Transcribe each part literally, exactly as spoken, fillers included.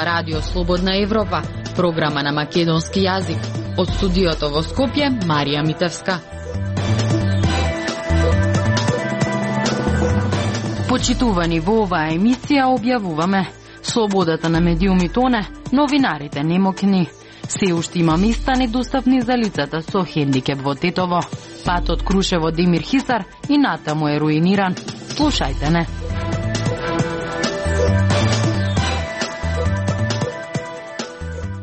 зборува Радио Слободна Европа, програма на македонски јазик. Од студиото во Скопје, Марија Митевска. Почитувани, во оваа емисија објавуваме: слободата на медиуми тоне, новинарите немокни. Се уште има места недостапни за лицата со хендикеп во Тетово. Патот Крушево Демир Хисар и натаму е руиниран. Слушајте не.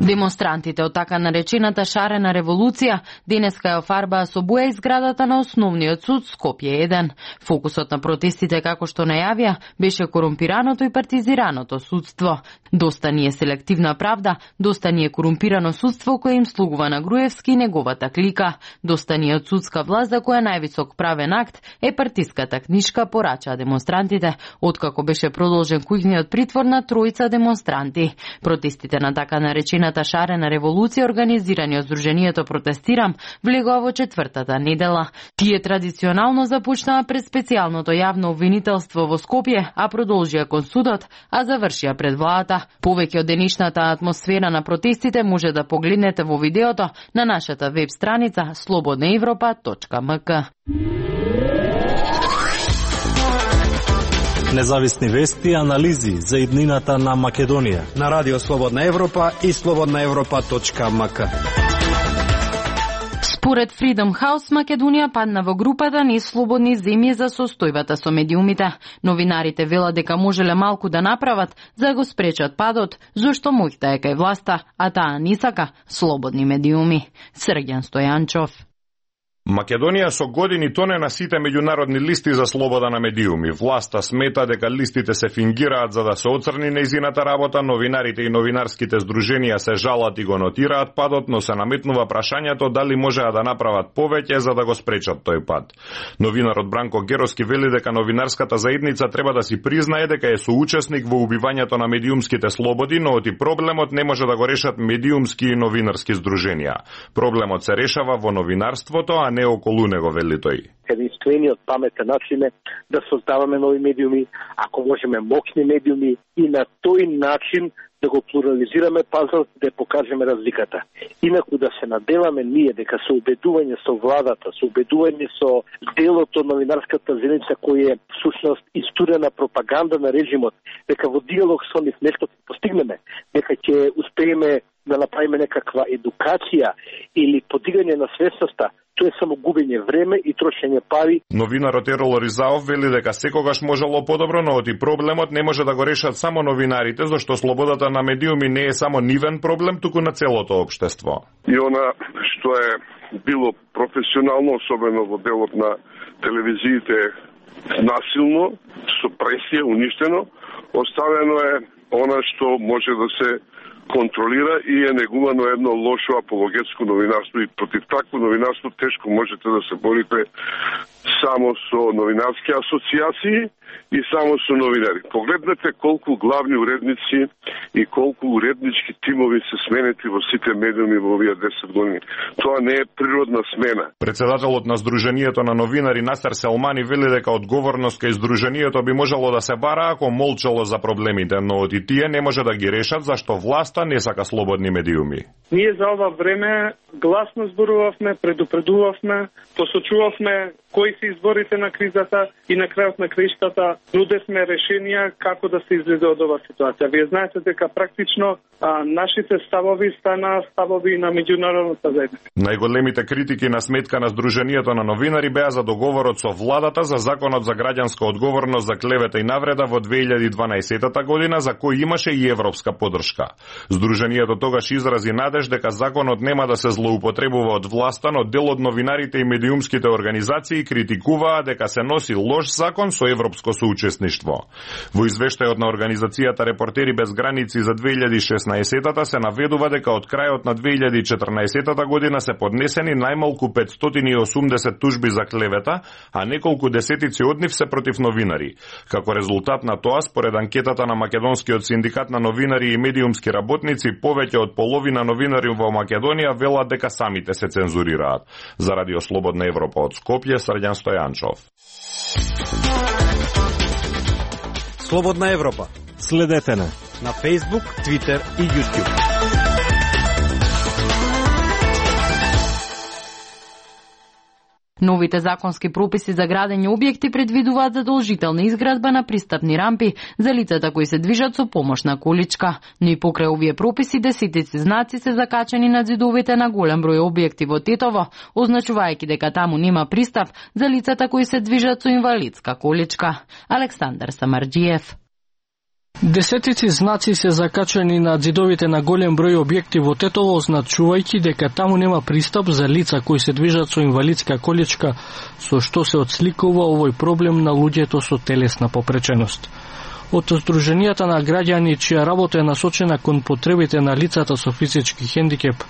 Демонстрантите од така наречената шарена револуција денеска ја офарбаа со боја изградата на основниот суд Скопје еден. Фокусот на протестите, како што најавија, беше корумпираното и партизираното судство. Доста ни е селективна правда, доста ни е корумпирано судство кое им слугува на Груевски и неговата клика. Доста ни е од судска власт за која највисок правен акт е партиската книшка, порачаа демонстрантите, откако беше продолжен кујниот притвор на тројца демонстранти. Протестите на така наречената шарена револуција, организирани од Сдруженијето Протестирам, влегоа во четвртата недела. Тие традиционално започнаа пред специјалното јавно обвинителство во Скопје, а продолжија кон судот, а завршија пред владата. Повеќе од денешната атмосфера на протестите може да погледнете во видеото на нашата веб страница слободна европа точка ем ка. Независни вести и анализи за иднината на Македонија на Радио Слободна Европа и слободна европа точка ем ка. Според Freedom House, Македонија падна во групата неслободни земји за состојбата со медиумите. Новинарите велат дека можеле малку да направат за да го спречат падот, зашто моќта е кај власта, а таа не сака слободни медиуми. Срѓан Стојанчов. Македонија со години тоне на сите меѓународни листи за слобода на медиуми. Власта смета дека листите се фингираат за да се оцрни нејзината работа, новинарите и новинарските здруженија се жалат и го нотираат падот, но се наметнува прашањето дали можеа да направат повеќе за да го спречат тој пад. Новинарот Бранко Героски вели дека новинарската заедница треба да си признае дека е соучесник во убивањето на медиумските слободи, но оти проблемот не може да го решат медиумски и новинарски здруженија. Проблемот се решава во новинарството, а не околу него, вели тој. Единствениот паметен начин е да создаваме нови медиуми, ако можеме мокни медиуми и на тој начин да го плурализираме пазарот, да покажеме разликата. Инаку да се наделаме ние дека со убедување со владата, со убедување со делото новинарската заедница кој е всушност истурена пропаганда на режимот, дека во диалог со нив нешто ќе постигнеме, дека ќе успееме да направиме некаква едукација или подигање на свесноста, тоа е само губење време и трошење пари. Новинарот Ерол Ризаов вели дека секогаш можело подобро, но оти проблемот не може да го решат само новинарите, зашто слободата на медиуми не е само нивен проблем, туку на целото општество. И она што е било професионално, особено во делот на телевизиите, насилно, со пресија, уништено, оставено е она што може да се контролира и е негувано едно лошо апологетско новинарство, и против такво новинарство тешко можете да се борите само со новинарски асоциации и само со новинари. Погледнете колку главни уредници и колку уреднички тимови се сменети во сите медиуми во овие десет години. Тоа не е природна смена. Председателот на Сдруженијето на новинари Насер Селмани вели дека одговорност кај Сдруженијето би можело да се бара ако молчало за проблемите, но оти тие не може да ги решат зашто власта не сака слободни медиуми. Ние за ова време гласно зборувавме, предупредувавме, посочувавме кои се изборите на кризата и на крајот на краиштата нудевме решенија како да се излезе од оваа ситуација. Вие знаете дека практично а, нашите ставови стана ставови на меѓународната заедница. Најголемите критики на сметка на Сдруженијето на новинари беа за договорот со владата за законот за граѓанска одговорност за клевета и навреда во две илјади и дванаесетта година, за кој имаше и европска поддршка. Сдруженијето тогаш изрази надеж дека законот нема да се злоупотребува од власта, но дел од новинарите и медиумските организации критикуваа дека се носи лош закон со европско соучесништво. Во извештајот на организацијата Репортери без граници за две илјади и шеснаесетта се наведува дека од крајот на две илјади и четрнаесетта година се поднесени најмалку петстотини и осумдесет тужби за клевета, а неколку десетици од нив се против новинари. Како резултат на тоа, според анкетата на Македонскиот синдикат на новинари и медиумски работници, повеќе од половина новинари во Македонија велат дека самите се цензурираат. За Радио Слободна Европа од Скопје, Срѓан Стојанчов. Слободна Европа. Следете не на Facebook, Twitter и YouTube. Новите законски прописи за градење објекти предвидуваат задолжителна изградба на пристапни рампи за лицата кои се движат со помошна количка, но и покрај овие прописи десетици знаци се закачени на ѕидовите на голем број објекти во Тетово, означувајќи дека таму нема пристап за лицата кои се движат со инвалидска количка. Александар Самарџиев. Десетици знаци се закачени на ѕидовите на голем број објекти во Тетово, означувајќи дека таму нема пристап за лица кои се движат со инвалидска количка, со што се отсликува овој проблем на луѓето со телесна попреченост. Од Сдруженијата на граѓани чија работа е насочена кон потребите на лицата со физички хендикеп,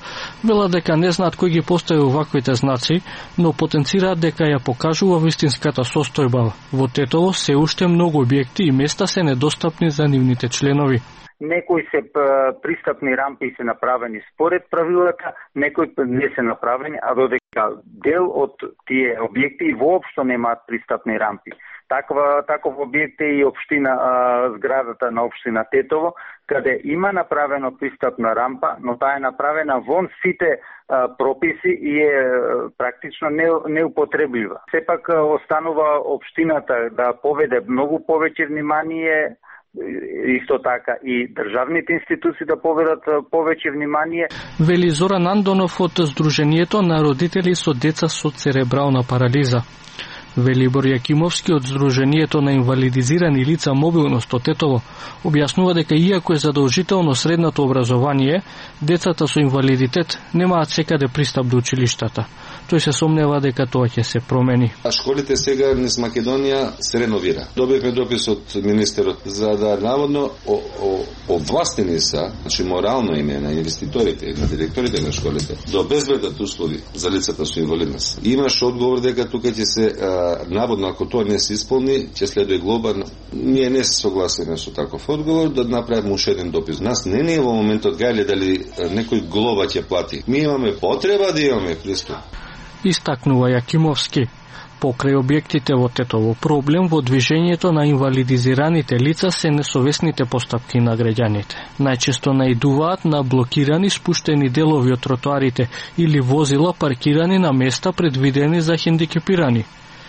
велат дека не знаат кој ги постави оваквите знаци, но потенцираат дека ја покажува вистинската состојба. Во Тетово се уште многу објекти и места се недостапни за нивните членови. Некои се пристапни рампи се направени според правилата, некои не се направени, а додека дел од тие објекти воопшто немаат пристапни рампи. Таква, таков објект е и општина, а, зградата на општина Тетово, каде има направено пристапна рампа, но таа е направена вон сите а, прописи и е практично не, неупотреблива. Сепак останува општината да поведе многу повеќе внимание, исто така и државните институции да поведат повеќе внимание. Вели Зоран Андонов од Сдруженијето на родители со деца со церебрална парализа. Велибор Јакимовски од Сдруженијето на инвалидизирани лица мобилност од Тетово објаснува дека иако е задолжително средното образование, децата со инвалидитет немаат секаде пристап до училиштата. Тој се сомнева дека тоа ќе се промени. А школите сега низ Македонија се реновира. Добивме допис од министерот за да наводно овластени са, значи морално име на инвеститорите, на директорите на школите, да обезбедат услови за лицата со инвалидност. Имаш одговор дека тука ќе се а, наводно ако тоа не се исполни, ќе следува глоба. Ние не се согласени со таков одговор, да направиме уште еден допис. Нас не не е во моментот гајле дали некој глоба ќе плати. Ми имаме потреба да имаме пристап. Истакнува Јакимовски. Покрај објектите во Тетово, проблем во движењето на инвалидизираните лица се несовесните постапки на граѓаните. Најчесто наидуваат на блокирани спуштени делови од тротоарите или возила паркирани на места предвидени за хендикепирани.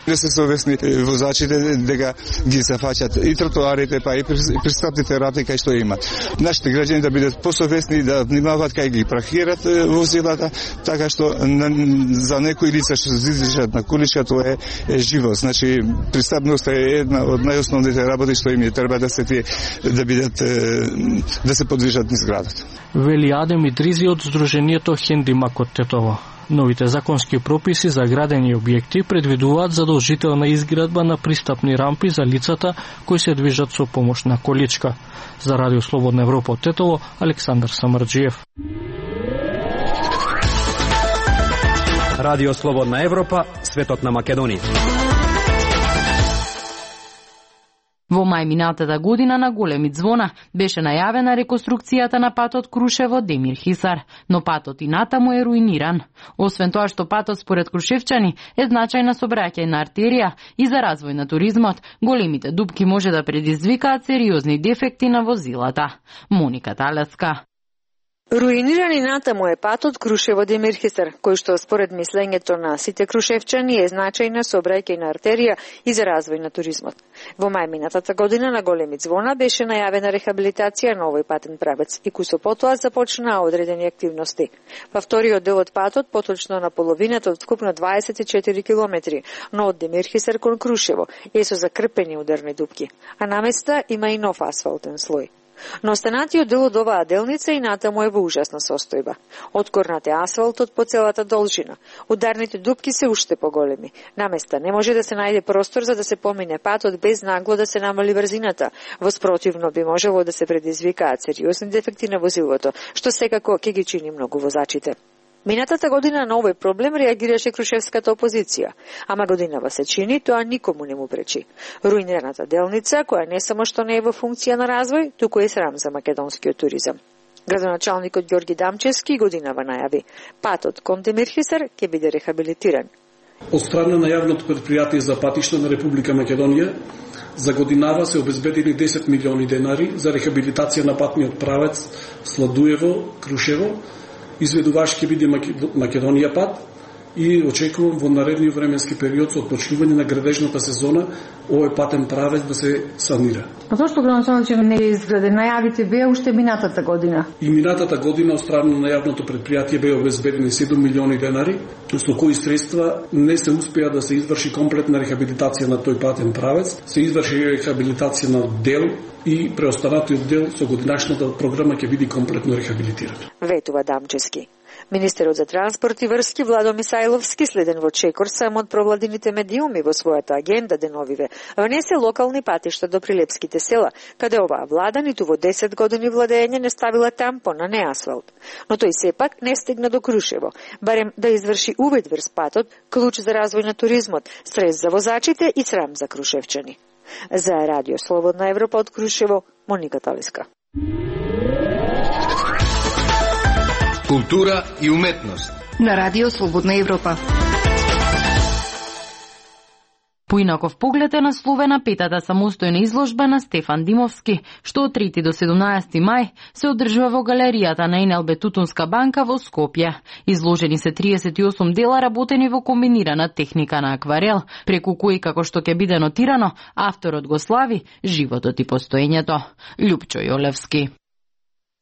Не се совесни возачите дека ги зафаќат и тротоарите, па и пристапните рампи кај што има. Нашите граѓани да бидат посовесни, да внимаваат кај ги паркират возилата, така што за некои лица што се движат на количка тоа е, е живот. Значи пристапноста е една од најосновните работи што им треба да се тие да бидат да се подвижат низ градот. Вели Адем Идризи од Сдруженијето Хендимак од Тетово. Новите законски прописи за градени објекти предвидуваат задолжителна изградба на пристапни рампи за лицата кои се движат со помошна количка. За Радио Слободна Европа од Тетово, Александар Самарџиев. Радио Слободна Европа, светот на Македонија. Во мај минатата година на Големи Ѕвона беше најавена реконструкцијата на патот Крушево-Демир Хисар, но патот и натаму е руиниран. Освен тоа што патот според крушевчани е значајна сообраќајна артерија и за развој на туризмот, големите дупки може да предизвикаат сериозни дефекти на возилата. Моника Талеска. Руиниран и натаму е патот Крушево-Демир Хисар, кој што според мислењето на сите крушевчани е значајна сообраќајна артерија и за развој на туризмот. Во мај минатата година на Големи Ձвона беше најавена рехабилитација на овој патен правец и кусо потоа започнаа одредени активности. Па вториот дел од патот, поточно на половината од вкупно дваесет и четири километри, но од Демир Хисар кон Крушево е со закрпени ударни дупки, а на места има и нов асфалтен слој. Но останатиот дел од оваа делница и натаму е во ужасна состојба. Откорнат е асфалтот по целата должина. Ударните дупки се уште поголеми. На места не може да се најде простор за да се помине патот без нагло да се намали брзината. Воспротивно би можело да се предизвикаат сериозни дефекти на возилото, што секако ќе ги чини многу возачите. Минатата година на овој проблем реагираше крушевската опозиција, ама годинава се чини, тоа никому не му пречи. Руинираната делница, која не само што не е во функција на развој, туку е срам за македонскиот туризам. Градоначалникот Ѓорги Дамчевски годинава најави, патот кон Демир Хисар ќе биде рехабилитиран. Од страна на јавното претпријатие за патишта на Република Македонија За годинава се обезбедени десет милиони денари за рехабилитација на патниот правец Сладуево-Крушево. Изведуваш ќе биде Македонија пат и очекувам во наредниот временски период со отпочнување на градежната сезона овој патен правец да се санира. А зошто градоначалник не е изграден? Најавите беа уште минатата година. И минатата година од страна на јавното предпријатие беа обезбедени седум милиони денари, со кои средства не се успеа да се изврши комплетна рехабилитација на тој патен правец, се изврши рехабилитација на дел и преостанатиот дел со годинашната програма ќе биде комплетно рехабилитиран. Ветува Дамчевски. Министерот за транспорт и врски Владо Мисајловски, следен во чекор само од провладините медиуми во својата агенда деновиве, внесе локални патишта до прилепските села, каде оваа влада ниту во десет години владење не ставила тампон, а не асфалт. Но тој сепак не стигна до Крушево, барем да изврши увид врз патот, клуч за развој на туризмот, стрес за возачите и срам за крушевчани. За Радио Слободна Европа од Крушево, Моника Талиска. Култура и уметност на Радио Слободна Европа. Поинаков поглед е насловена петата самостојна изложба на Стефан Димовски, што од трети до седумнаесети мај се одржува во галеријата на ен ел би Тутунска банка во Скопје. Изложени се триесет и осум дела работени во комбинирана техника на акварел, преку кои, како што ќе биде нотирано, авторот го слави животот и постоењето. Љупчо Јолевски.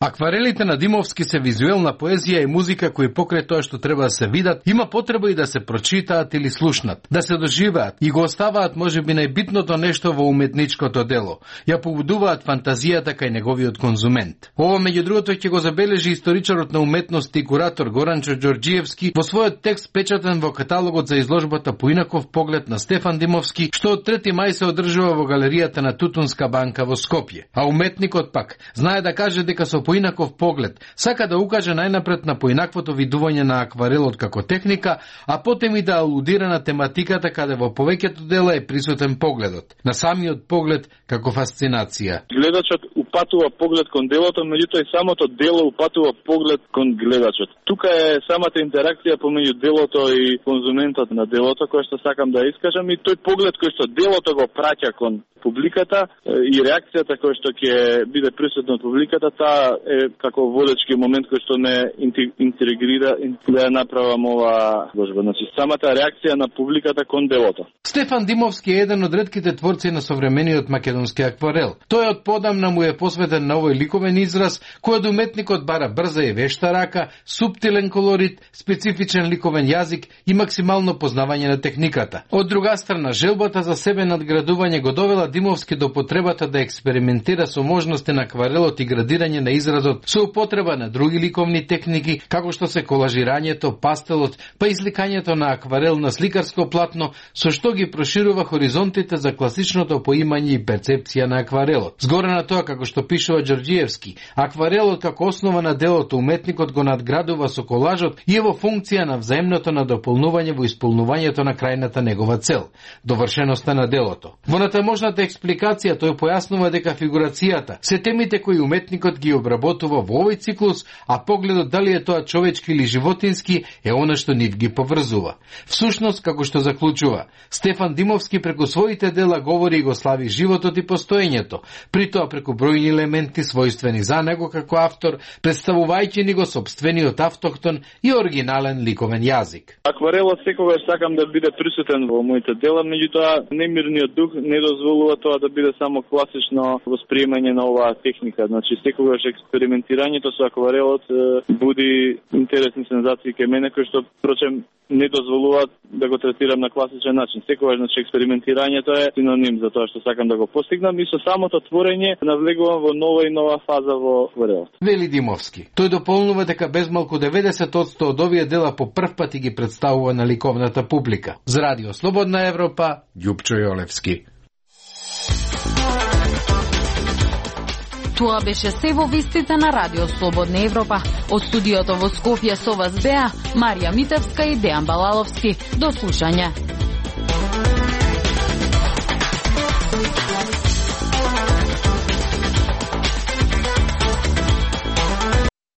Акварелите на Димовски се визуелна поезија и музика кои покрај тоа што треба да се видат, има потреба и да се прочитаат или слушнат, да се доживеат и го оставаат можеби најбитното нешто во уметничкото дело. Ја побудуваат фантазијата кај неговиот конзумент. Ова меѓу другото ќе го забележи историчарот на уметност и куратор Горанчо Ѓорѓиевски во својот текст печатен во каталогот за изложбата Поинаков поглед на Стефан Димовски, што од трети мај се одржува во галеријата на Тутунска банка во Скопје. А уметникот пак знае да каже дека со поинаков поглед сака да укаже најнапред на поинаквото видување на акварелот како техника, а потем и да алудира на тематиката каде во повеќето дела е присутен погледот, на самиот поглед како фасцинација. Гледачот упатува поглед кон делото, меѓутоа и самото дело упатува поглед кон гледачот. Тука е самата интеракција помеѓу делото и конзументот на делото, кој што сакам да искажам, и тој поглед кој што делото го праќа кон публиката и реакцијата кој што ќе биде присутна од публиката, таа е како водечки момент кој што не интегрира да ја направам ова изложба. Значи самата реакција на публиката кон делото. Стефан Димовски е еден од ретките творци на современиот македонски акварел. Тој од подамна му е посветен на овој ликовен израз, кој од уметникот бара брза и вешта рака, суптилен колорит, специфичен ликовен јазик и максимално познавање на техниката. Од друга страна, желбата за себе надградување го довела Димовски до потребата да експериментира со можности на акварелот и градирање на изразот со употреба на други ликовни техники, како што се колажирањето, пастелот, па изликањето на акварел на сликарско платно, со што ги проширува хоризонтите за класичното поимање и перцепција на акварелот. Згоре на тоа, како што пишува Ѓорѓиевски, акварелот како основа на делото уметникот го надградува со колажот и е во функција на взаимното надополнување во исполнувањето на крајната негова цел, довршеноста на делото. Во натаможната експликација тој појаснува дека фигурацијата се темите кои уметникот ги обработува во овој циклус, а погледот дали е тоа човечки или животински е она што нив ги поврзува. Всушност, како што заклучува, Стефан Димовски преку своите дела говори и го слави животот и постоењето, при тоа преку бројни елементи својствени за него како автор, представувајќи ни го собствениот автохтон и оригинален ликовен јазик. Акварелот секогаш сакам да биде присутен во моите дела, меѓутоа немирниот дух не дозволува тоа да биде само класично восприемање на оваа техника. Значи секогаш експериментирањето со акварелот буди интересни сензации кај мене, кои што впрочем не дозволуваат да го третирам на класичен начин. Секогаш значи експериментирањето е синоним за тоа што сакам да го постигнам и со самото творење навлегувам во нова и нова фаза во акварелот. Вели Димовски. Тој дополнува дека безмалку деветдесет одсто од овие дела по прв пат ги представува на ликовната публика. За Радио Слободна Европа, Љупчо Јолевски. Тоа беше се во вестите на Радио Слободна Европа. Од студиото во Скопје со вас беа Марија Митевска и Дејан Балаловски. До слушање.